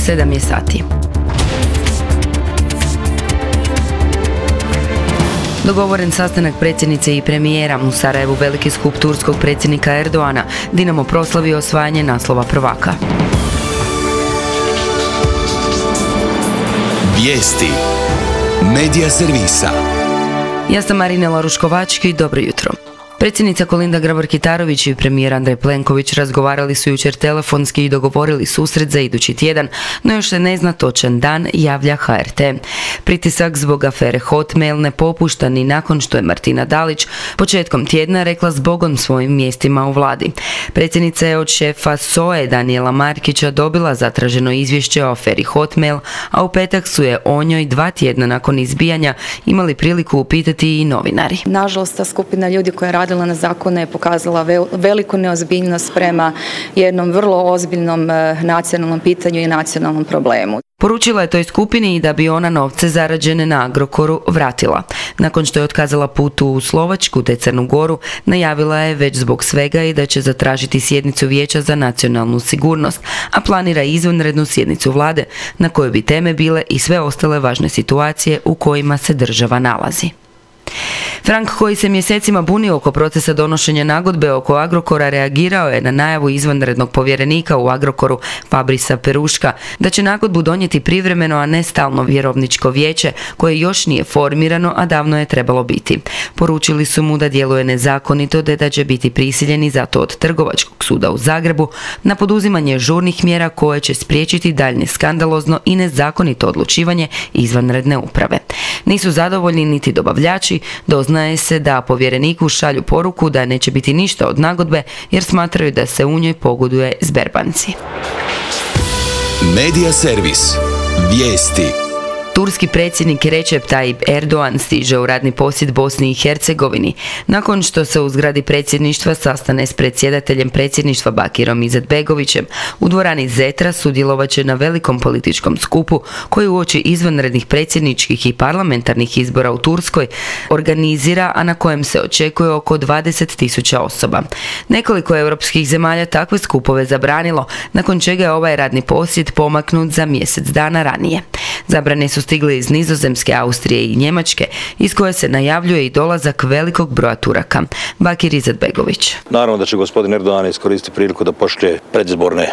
7 je sati. Dogovoren sastanak predsjednice i premijera. U Sarajevu veliki skup turskog predsjednika Erdoana. Dinamo proslavio osvajanje naslova prvaka. Vijesti Medija servisa. Ja sam Marinela Ruškovački, dobro jutro. Predsjednica Kolinda Grabar-Kitarović i premijer Andrej Plenković razgovarali su jučer telefonski i dogovorili susret za idući tjedan, no još se ne zna točan dan, javlja HRT. Pritisak zbog afere Hotmail ne popušta ni nakon što je Martina Dalić početkom tjedna rekla zbogom svojim mjestima u vladi. Predsjednica je od šefa SOA-e Danijela Markića dobila zatraženo izvješće o aferi Hotmail, a u petak su je o njoj 2 tjedna nakon izbijanja imali priliku upitati i novinari. Nažalost, ta skupina ljudi koja je radila na zakone je pokazala veliku neozbiljnost prema jednom vrlo ozbiljnom nacionalnom pitanju i nacionalnom problemu. Poručila je toj skupini i da bi ona novce zarađene na Agrokoru vratila. Nakon što je otkazala put u Slovačku te Crnu Goru, najavila je već zbog svega i da će zatražiti sjednicu Vijeća za nacionalnu sigurnost, a planira izvanrednu sjednicu vlade na kojoj bi teme bile i sve ostale važne situacije u kojima se država nalazi. Frank, koji se mjesecima bunio oko procesa donošenja nagodbe oko Agrokora, reagirao je na najavu izvanrednog povjerenika u Agrokoru Fabrisa Peruška da će nagodbu donijeti privremeno, a ne stalno vjerovničko vijeće koje još nije formirano, a davno je trebalo biti. Poručili su mu da djeluje nezakonito te da će biti prisiljeni zato od Trgovačkog suda u Zagrebu na poduzimanje žurnih mjera koje će spriječiti daljnje skandalozno i nezakonito odlučivanje izvanredne uprave. Nisu zadovoljni niti dobavljači, doznaje se da povjereniku šalju poruku da neće biti ništa od nagodbe jer smatraju da se u njoj pogoduje Sberbanci. Medija servis. Vijesti. Turski predsjednik Recep Tayyip Erdogan stiže u radni posjet Bosni i Hercegovini nakon što se u zgradi predsjedništva sastane s predsjedateljem predsjedništva Bakirom Izetbegovićem. U dvorani Zetra sudjelovat će na velikom političkom skupu koji uoči izvanrednih predsjedničkih i parlamentarnih izbora u Turskoj organizira, a na kojem se očekuje oko 20.000 osoba. Nekoliko europskih zemalja takve skupove zabranilo, nakon čega je ovaj radni posjet pomaknut za mjesec dana ranije. Zabrane su stigle iz Nizozemske, Austrije i Njemačke, iz koje se najavljuje i dolazak velikog broja Turaka. Bakir Izetbegović. Naravno da će gospodin Erdogan iskoristiti priliku da pošalje predizborne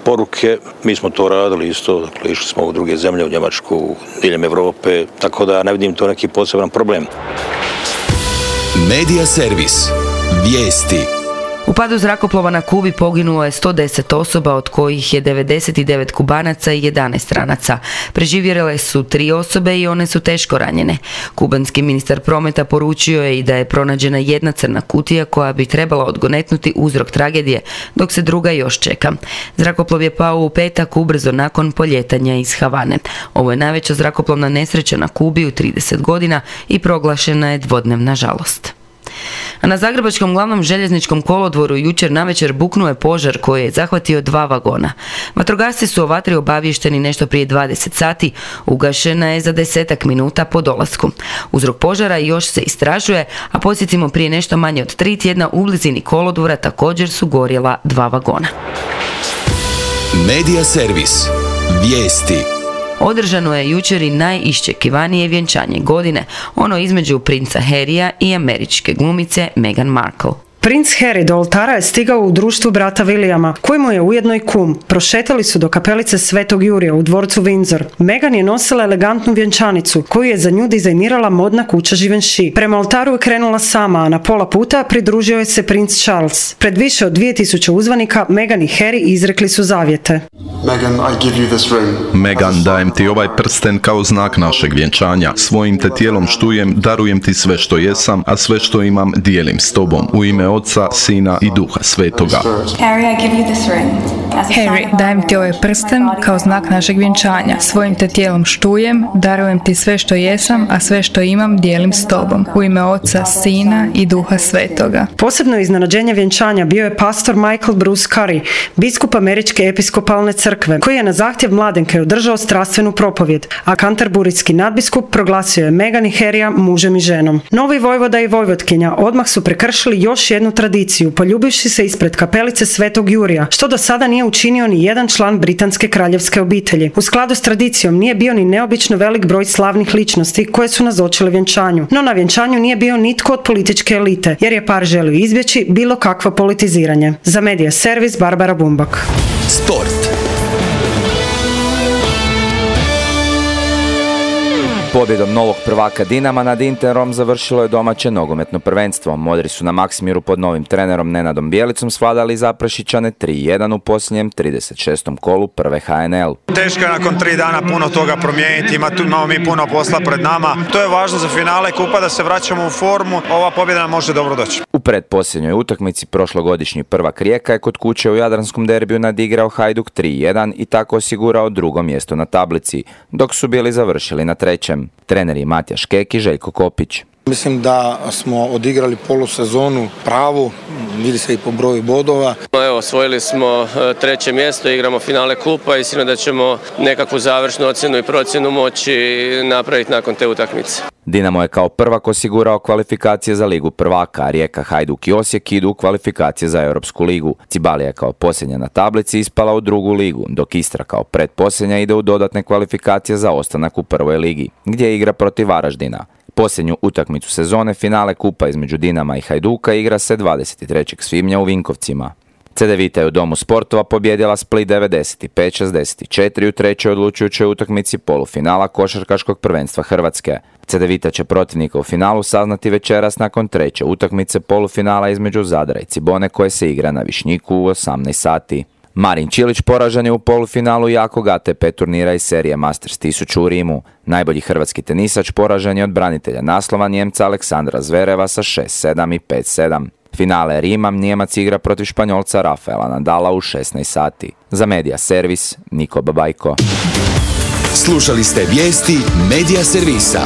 poruke. Mi smo to radili isto, dakle, išli smo u druge zemlje, u Njemačku, diljem Europe, tako da ne vidim to neki poseban problem. Medija servis. Vijesti. U padu zrakoplova na Kubi poginulo je 110 osoba, od kojih je 99 Kubanaca i 11 stranaca. Preživjele su 3 osobe i one su teško ranjene. Kubanski ministar prometa poručio je i da je pronađena jedna crna kutija koja bi trebala odgonetnuti uzrok tragedije, dok se druga još čeka. Zrakoplov je pao u petak ubrzo nakon poljetanja iz Havane. Ovo je najveća zrakoplovna nesreća na Kubi u 30 godina i proglašena je dvodnevna žalost. A na zagrebačkom glavnom željezničkom kolodvoru jučer navečer buknuo je požar koji je zahvatio 2 vagona. Vatrogasci su o vatri obavješteni nešto prije 20 sati, ugašena je za 10 minuta po dolasku. Uzrok požara još se istražuje, a podsjetimo, prije nešto manje od 3 tjedna u blizini kolodvora također su gorjela 2 vagona. Medija servis. Vijesti. Održano je jučer i najiščekivanije vjenčanje godine, ono između princa Harryja i američke glumice Meghan Markle. Princ Harry do oltara je stigao u društvu brata Williama, koji mu je ujedno i kum. Prošetali su do kapelice Svetog Jurija u dvorcu Windsor. Meghan je nosila elegantnu vjenčanicu, koju je za nju dizajnirala modna kuća Givenchy. Prema oltaru je krenula sama, a na pola puta pridružio je se princ Charles. Pred više od 2000 uzvanika, Meghan i Harry izrekli su zavjete. Meghan, dajem ti ovaj prsten kao znak našeg vjenčanja. Svojim te tijelom štujem, darujem ti sve što jesam, a sve što imam dijelim s tobom. U ime Oca, Sina i Duha Svetoga. Harry, dajem ti ovaj prsten kao znak našeg vjenčanja. Svojim te tijelom štujem, darujem ti sve što jesam, a sve što imam dijelim s tobom. U ime Oca, Sina i Duha Svetoga. Posebno iznenađenje vjenčanja bio je pastor Michael Bruce Curry, biskup Američke episkopalne crkve, koji je na zahtjev mladenke održao strastvenu propovjed, a kanterburijski nadbiskup proglasio je Meghan i Harryja mužem i ženom. Novi vojvoda i vojvotkinja odmah su prekršili još jednu tradiciju, poljubivši se ispred kapelice Svetog Jurija, što do sada nije učinio ni jedan član britanske kraljevske obitelji. U skladu s tradicijom nije bio ni neobično velik broj slavnih ličnosti koje su nazočile vjenčanju. No na vjenčanju nije bio nitko od političke elite, jer je par želio izbjeći bilo kakvo politiziranje. Za Medija servis Barbara Bumbak. Sport. Pobjedom novog prvaka Dinama nad Interom završilo je domaće nogometno prvenstvo. Modri su na Maksimiru pod novim trenerom Nenadom Bjelicom svladali Zaprašićane 3-1 u posljednjem 36. kolu prve HNL. Teško je nakon 3 dana puno toga promijeniti, imamo mi puno posla pred nama. To je važno za finale kupa da se vraćamo u formu, ova pobjeda nam može dobro doći. U predposljednjoj utakmici prošlogodišnji prvak Rijeka je kod kuće u Jadranskom derbiju nadigrao Hajduk 3-1 i tako osigurao drugo mjesto na tablici, dok su bili završili na trećem. Treneri Matija Škek i Željko Kopić. Mislim da smo odigrali polusezonu pravu, vidi se i po broju bodova. Evo, osvojili smo treće mjesto, igramo finale kupa i sigurno da ćemo nekakvu završnu ocjenu i procjenu moći napraviti nakon te utakmice. Dinamo je kao prvak osigurao kvalifikacije za Ligu prvaka, a Rijeka, Hajduk i Osijek idu u kvalifikacije za Europsku ligu. Cibalija je kao posljednja na tablici ispala u drugu ligu, dok Istra kao pretposljednja ide u dodatne kvalifikacije za ostanak u prvoj ligi, gdje igra protiv Varaždina. Posljednju utakmicu sezone, finale kupa između Dinama i Hajduka, igra se 23. svibnja u Vinkovcima. Cedevita je u Domu sportova pobjedila Split 95-64 u trećoj odlučujućoj utakmici polufinala košarkaškog prvenstva Hrvatske. Cedevita će protivnika u finalu saznati večeras nakon treće utakmice polufinala između Zadra i Cibone koje se igra na Višnjiku u 18 sati. Marin Čilić poražen je u polufinalu jakog ATP turnira iz serije Masters 1000 u Rimu. Najbolji hrvatski tenisač poražen je od branitelja naslova Njemca Aleksandra Zvereva sa 6-7 i 5-7. Finale Rima Nijemac igra protiv Španjolca Rafaela Nadala u 16 sati. Za Medija servis Niko Babajko. Slušali ste vijesti Medija servisa.